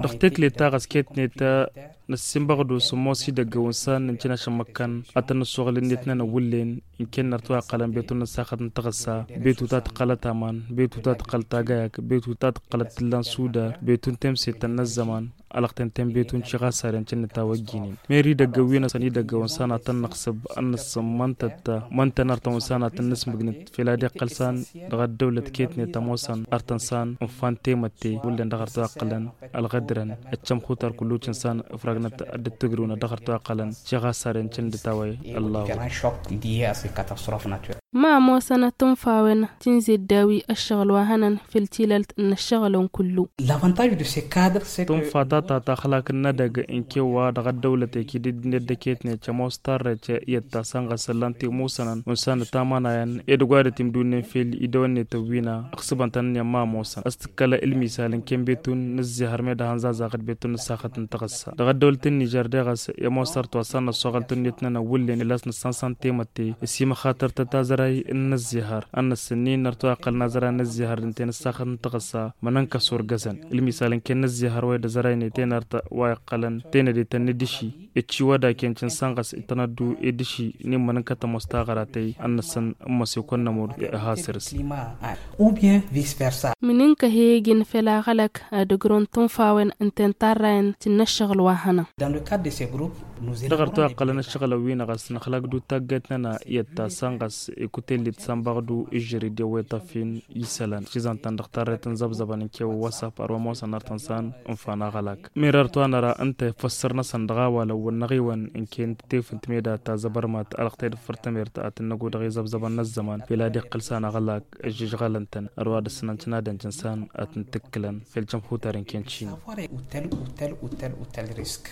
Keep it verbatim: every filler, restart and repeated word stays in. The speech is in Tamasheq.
Dăɣ-tekle ta ɣas ketnet năssimbăɣ-dd osǝmmos idăgg ăwǝnsan n-cinaš n-imăkkan ad-tăn-nǝssoɣǝl ǝnniyăt-nănăɣ wǝllen. Ǝnken nărtăw a ǝqqălăn betu n-ăssaxăt n-taɣǝssa, betu ta tǝqqălăt aman, betu ta tǝqqălăt agayag, betu ta tǝqqălăt tǝlla n-sudar, betu n-temsettăn n-ăzzăman. Ălăɣten ten betu n-ciɣasaren cǝnnǝt a-wa ăjjinen meri idăgg ăwwin-asăn idăgg ăwǝnsan ad-tăn-năɣsǝb ad-nǝssǝmmăntăt măntăn artăn ăwǝnsan ad-tăn-nǝsmǝgnǝt fel ad-iqqăl san dăɣ-ăddăwlăt ketnet ămoosăn artăn san ǝnfa n-temătte wullen dăɣ-artăw a ǝqqălăn ălɣădrăn. Ăccăm xutar kullu cǝnsan ǝfrăgnăt ad-dd-tǝgrǝwnăt dăɣ-artăw a ǝqqălăn ciɣasaren cǝnnǝt a-wa. Ăllahu. Ma ămoosăn ad-tǝnfawen tǝnze dd-awi ăššăɣǝl wa hănăn făll-tilalt n-ăššăɣǝlăn kullu. Tǝnfa ta ta taxlak n-edăgg n-kewwa dăɣ-ăddăwlăt ekid dd-net d-eketnet ămoos tarrăyt i-ăttasăn ɣas ǝllan timusănăn unsan ătamanayăn edăgg wa dd-timdunnen fel idăwănnet ăwwina ăɣsǝbăn-tăn ǝnni ămma ămoosăn a-s tǝkkălă ǝlmisal n-ken betun n-ǝzzihăr meddǝn hăn zazaɣăt betun n-ǝssaxăt n-taɣǝssa dăɣ-ăddăwlăt n-nižer deɣ a-s i-ămoos tărtwa s-ad-năssoɣăl tunnǝyăt-nănăɣ wullen ila a-s nǝssan s-han temătte ăsimăxatăr-tăt azăray n-inǝzzihăr ad-năssǝnnin nărtăw a iqqălăn azăray n-inǝzzihăr d-ǝnta i-inǝssaxăt n-taɣǝssa. Mănănk'-as wăr găzăn ǝlmisal n-ken inǝzzihăr wa i-dd-azăraynet i-inărtăt wa iqqălăn tenădetăn n-idǝši ǝcciwăd a ken cǝnsan ɣas itănăddu i-idǝši n-immănănkăt ămoos taɣăratăy ad-năssăn n-măsekon n-ămur. Ihasǝr-s. Mǝnǝnk'-e egǝn fel aɣălăk ad-ǝgrǝwăn tunfawen ǝnta i-intarrayăn tǝnnă ăššăɣǝl wa hănăn. Dăɣ-arăt wa iqqălăn ăššăɣǝlăn wi-năɣ a-s năxlak d-taggayt-nănăɣ i-ăttasăn ɣas ikutăy-net s-anbăɣdu ižžăr-dd i-wa iṭăffin isălan šizăn-tăn dăɣ-tarrăyt n-zăbzăbăn n-kewăn wa s-afar wa ămoosăn artăn san. Ǝnfan aɣălak mirăr-t wa năra ǝnta i-făssăr-năsăn dăɣ-awalăn wăr năɣ-iwăn ǝnken tefǝnt meda ta zăbărmat alăɣtăy d-făr tămert ad-tǝnnăgo dăɣ-izăbzăbăn n-ăzzăman fel ad-iqqǝl san aɣălak ǝžžǝžɣălăn-tăn. Ărwa dăr-săn ăncănadăn cǝnsan ad-tǝntǝkkǝlăn fel cămxutar ǝnken cin. Savoir est utile, utile, utile, utile risque.